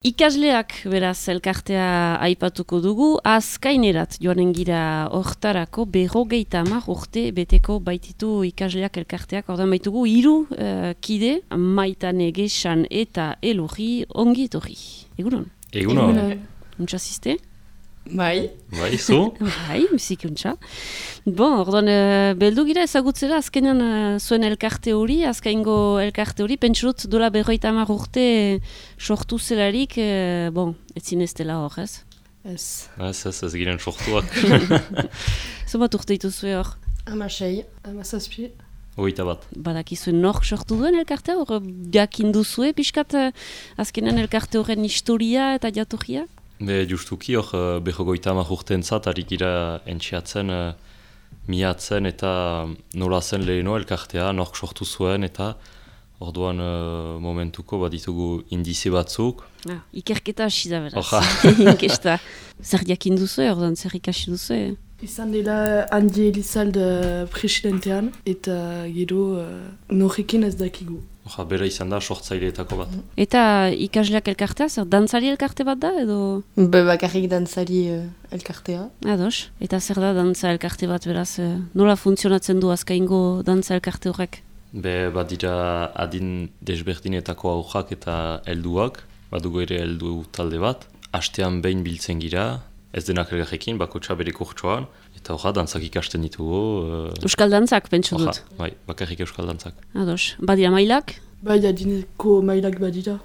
Ikasleak beraz elkartea aipatuko dugu, azkainerat joanen gira hortarako 50 urte beteko baititu ikasleak elkarteak, ordan baitugu 3 kide, Maitane, Gesan eta Elurri, ongi etorri. Egunon? Egunon. Untsa ziste? Bai. Bai, zu? Bai, bizik untsa. Bon, ordan beldu gira ezagutzera azkenean zuen elkarte hori, azkaingo elkarte hori, pentsurut dola 50 urte sortu zelarik, bon, ez zineztela hor, ez? Ez. Ez giren sortuak. Zobat urte dituzue hor? 16, 17. Hogeita bat. Badakizuen nork sortu duen elkartea, hor jakin duzue, pixkat azkenean elkarte horren historia eta jatorria? Be, justuki hor 50 urteentzat harik gira entxeatzen, miatzen eta nola zen leheno elkartea, nork sortu zuen eta orduan momentuko baditugu indize batzuk. Ikerketa hasi da beraz. Oja. Inkesta. Zer jakin duzue, orduan zer ikasi duzue? Izan dela Andi Elizalde presidentean eta gero norrekin ez dakigu. Oja, bera izan da sortzaileetako bat. Eta ikasleak elkartea, zer dantzari elkarte bat da edo? Bakarrik dantzari elkartea. Ados. Eta zer da dantza elkarte bat beraz? Nola funtzionatzen du azkaingo dantza elkarte horrek? Be, badira adin desberdinetako aurrak eta helduak, badugu ere heldu talde bat. Astean behin biltzen gira, ez denak elgarrekin, bakotxa bere kurtsoan, eta horra dantzak ikasten ditugu. Euskal dantzak, pentsu dut? Bai, bakarrik euskal dantzak. Ados. Badira mailak? Bai, adineko mailak badira.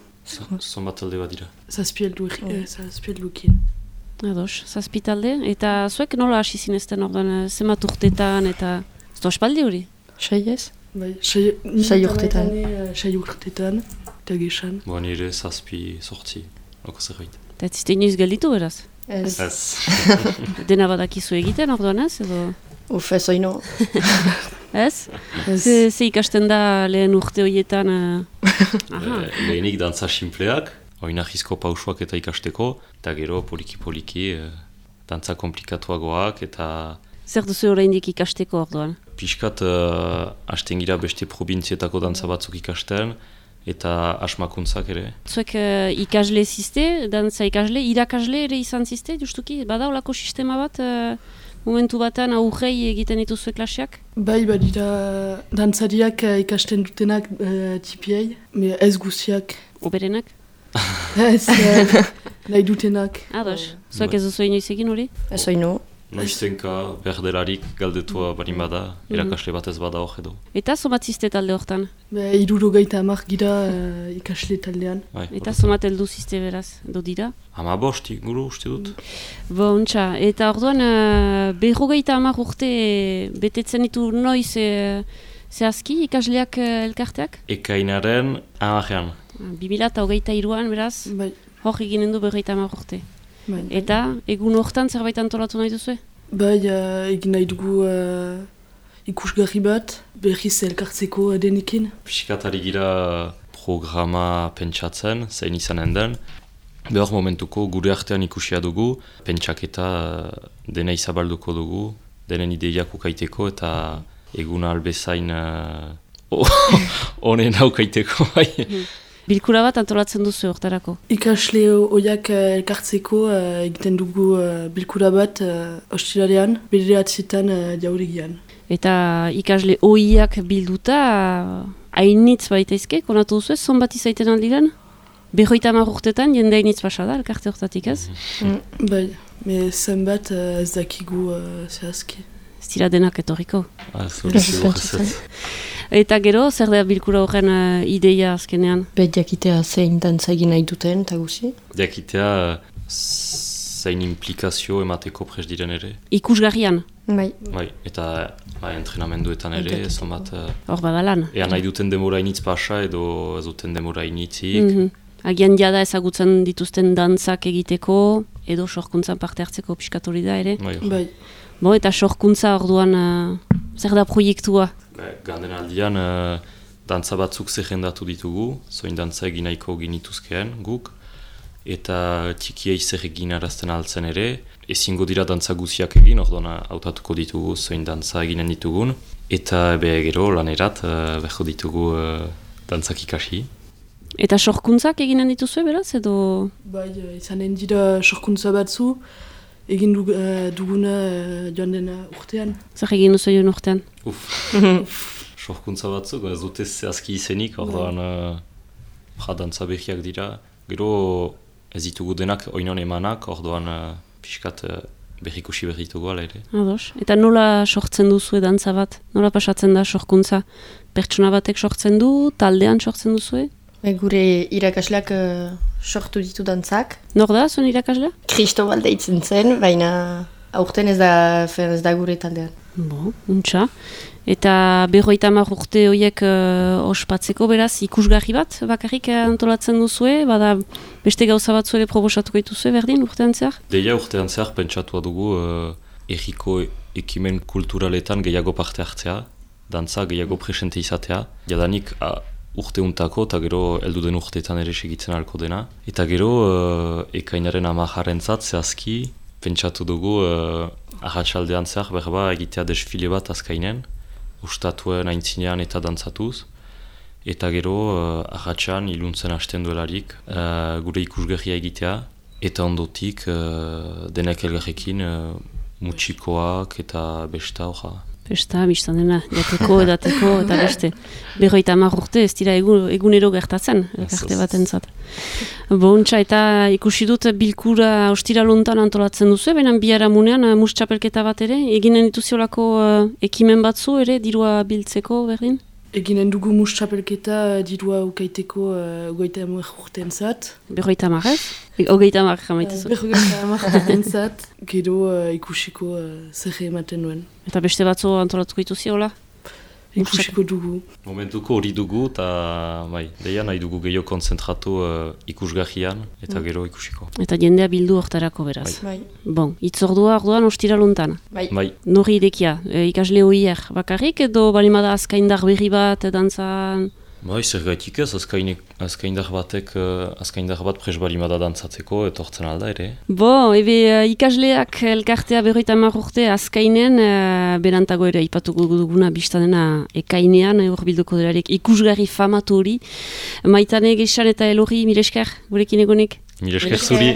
Zonbat talde badira. Zazpieldukin. Ados, zazpitalde. Eta zuek nola hasi zinezten orduan, zemat urtetan eta... Ez da ospaldi hori? Sei ez? Bai, sei urtetan. Sei urtetan, eta Gesan. Boa nire zazpi sortzi, loko zerbait. Eta ez ziste inoiz gelditu beraz? Ez. Dena badakizu egiten orduan ez, edo? Ez oino. Ez? Ze ikasten da lehen urte horietan? Lehenik dantza simpleak, oinahizko pausuak eta ikasteko, eta gero poliki-poliki dantza komplikatuagoak eta... Zer duzu oraindik ikasteko orduan? Piskat hasten gira beste probintzietako dantza batzuk ikasten, eta asmakuntzak ere. Zuek ikasle ziste, dantza ikasle, irakasle ere izan ziste, justuki? Bada olako sistema bat, momentu batan aurrei egiten dituzue klaseak? Bai, badira dantzariak ikasten dutenak tipiei, ez guziak. Oberenak? Ez, nahi dutenak. Ados, zuek ez duzu inoiz egin hori? Ez oino. Noiztenka berdelarik galdetua barin bada, irakasle bat ez bada hor edo. Eta somat ziste talde hortan? 60 gira ikasle taldean. Bai, Eta somat heldu ziste beraz, edo dira? 15 inguru uste dut. Bontxa, eta orduan 50 urte betetzen ditu noiz zehazki ikasleak elkarteak? Ekainaren 10ean. 2023an beraz, Bai. hor eginen du 50 urte. Bai. Eta egun hortan zerbait antolatu nahi duzue? Bai, egin nahi dugu ikusgarri bat, berriz elkartzeko denekin. Piskatari gira programa pentsatzen, zein izanen den. Behor momentuko gure artean ikusia dugu, pentsaketa dena izabalduko dugu, denen ideiak ukaiteko eta eguna albezain honen aukaiteko. Bilkura bat antolatzen duzu hortarako? Ikasle horiak elkartzeko egiten dugu bilkura bat ostiralean, bederatzetan jauregian. Eta ikasle ohiak bilduta hainitz baitaizke, konatu duzu ez, zonbat izaiten aldiren? 50 urtetan jende hainitz pasa da, elkarte hortatik ez? Bai, zenbat ez dakigu zehazki. Ez dira denak etorriko. Ez. Eta gero, zer da bilkura horren ideia azkenean? Jakitea zein dantza egin nahi duten, eta guzi? Jakitea zein implikazio emateko prest diren ere. Ikusgarrian? Bai. Bai, eta entrenamenduetan ere, zonbat... Hor badalan. Ea nahi duten demora initz pasa edo ez duten demora initzik. Agian jada ezagutzen dituzten dantzak egiteko, edo sorkuntzan parte hartzeko piskatori da ere. Bai. Bo, eta sorkuntza orduan zer da proiektua? Ganden aldian, dantza batzuk zerrendatu ditugu, zoin dantza egin nahiko ginituzkeen guk, eta txikiei zer egin arazten altzen ere, ezingo dira dantza guziak egin, orduan hautatuko ditugu zoin dantza eginen ditugun, eta gero lanerat beharko ditugu dantzak ikasi. Eta sorkuntzak eginen dituzue, beraz, edo... Bai, izanen dira sorkuntza batzu, egin duguna joan dena urtean. Zer egin duzu joan urtean? Sorkuntza batzuk, ez dute zehazki izenik, orduan dantza behiak dira. Gero ez ditugu denak oinon emanak, orduan pixkat behikusi behitugu ala ere. Ados. Eta nola sortzen duzu dantza bat? Nola pasatzen da sorkuntza? Pertsona batek sortzen du, taldean sortzen duzue? Gure irakasleak sortu ditu dantzak. Nor da, zuen irakaslea? Cristobal deitzen zen, baina aurten ez da gure taldean. Bo, untxa. Eta 50 urte horiek ospatzeko beraz ikusgarri bat bakarrik antolatzen duzue, bada beste gauza batzu ere proposatuko dituzue berdin urtean zehar? Deia urtean zehar pentsatua dugu erriko ekimen kulturaletan gehiago parte hartzea, dantza gehiago presente izatea, jadanik urteuntako eta gero heldu den urteetan ere segitzen ahalko dena. Eta gero ekainaren 10 zehazki pentsatu dugu arratsaldean zehar berba egitea desfile bat azkainen, ustatuen aintzinean eta dantzatuz. Eta gero arratsan iluntzen hasten duelarik gure ikusgarria egitea. Eta ondotik denak elgarrekin mutxikoak eta besta hoja. Besta, biztan dena, jateko, edateko, eta beste. 50 urte ez dira egunero gertatzen, elkarte bat entzat. Bontxa, eta ikusi dut bilkura ostiraluntan antolatzen duzu, benen biharamunean mus txapelketa bat ere, eginen dituziolako ekimen batzu ere, dirua biltzeko berdin? Eginen dugu mus txapelketa dirua ukaiteko 50 urtean zat. 50 ez? 50 jamaitezu. 50 urtean zat, gero ikusiko zer ematen duen. Eta beste batzu antolatuko dituziola? Ikusiko dugu. Momentuko hori dugu, eta deia nahi dugu gehiago konzentratu ikusgarrian, eta gero ikusiko. Eta jendea bildu hortarako beraz. Bai. Bon, itzordua orduan ostiraluntan. Bai. Norri idekia, ikasle hoier bakarrik edo balimada azkaindar berri bat dantzan? Zer gaitik ez, azkaindar bat pres balimada dantzatzeko etortzen alda ere. Ikasleak elkartea 50 urte azkainen, berantago ere ipatuko duguna biztanena ekainean, hor bilduko delarik ikusgarri famatu hori. Maitane Gexan eta Elorri, miresker, gurekin egonek? Miresker zuri.